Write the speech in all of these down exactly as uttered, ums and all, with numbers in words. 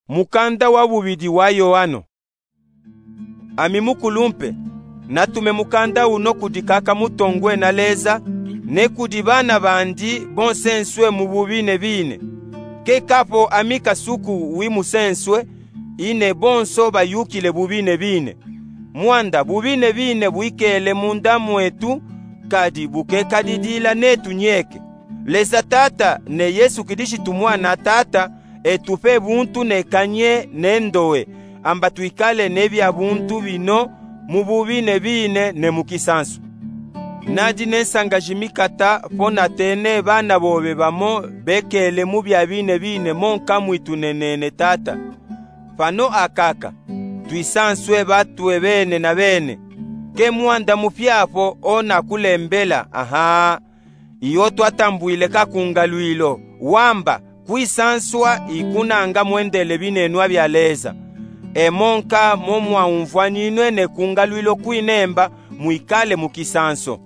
Mukanda wa bubidi wa Yoano. Ami mukulumpe, natume mukanda uno kudi kaka mutongwe na Leza, ne kudi bana bandi bonsenswe mu bubinebine. Keka po ami kasuku wi musenswe, ine bonso bayukile bubinebine. Mwanda bubinebine bwikele munda mwetu, kadi bukekadidila netu nyeke. Leza Tata ne Yesu Kilishitu Mwana Tata, etupe buntu ne kanye ne ndowe, amba twikale ne bia buntu bino mu bubinebine ne mu kisansu. Nadi ne nsanga jimikata po natene bana bobe bamo bekele mu bia binebine mo nka mwitu ne nene Tata. Pano akaka, twisanswe batwe bene na bene. Ke mwanda mupya po ona kulembela, aha. Iyo twatambwile kakungalwilo, wamba, kwisanswa ikunanga mwendele binenwa bia Leza. Emo nka mo mwaumvwaninwe ne kungalwilo kwinemba mwikale mu kisanso.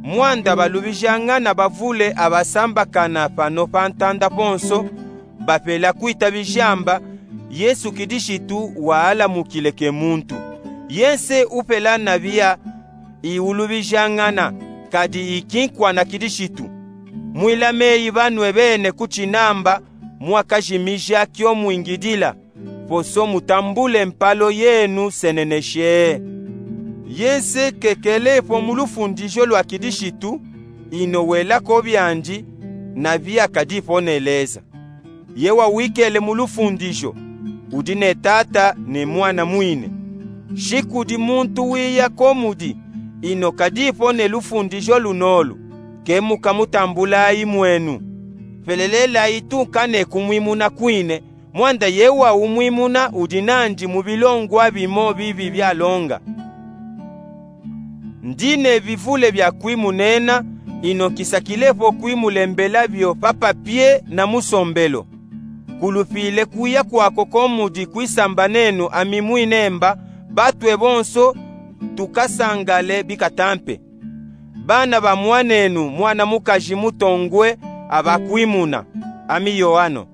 Mwanda balubijangana bavule abasambakana pano pa ntanda ponso, bapela kwitabija amba, Yesu Kilishitu waalamukile ke muntu. Yense upela na bia iulubijangana, kadi ikinkwa na Kilishitu. Mwilame yi banwe bene ku cinamba mwakajimija kio mwingidila, poso mutambule mpalo yenu seneneshe. Yense kekele po mu lufundijo lwa Kilishitu, ino welako biandi, na bia kadipo ne Leza. Ye wawikele mu lufundijo, udi ne Tata ne Mwana mwine. Shi kudi muntu wiya ko mudi, ino kadipo ne lufundijo lunolu, ke mukamutambulayi mwenu. Pelelelayi tunka ne kumwimuna kwine, mwanda ye waumwimuna udi nandi mu bilongwa bimo bibi bialonga. Ndi ne bivule bia kwimunena, ino nkisakilepo kwimulembela bio pa papie na mu sombelo. Kulupile kuya kwako ko mudi kwisambanenu ami mwinemba, batwe bonso tukasangale bikatampe. Bana ba mwanenu mwana mukaji mutongwe abakwimuna, ami Yoano.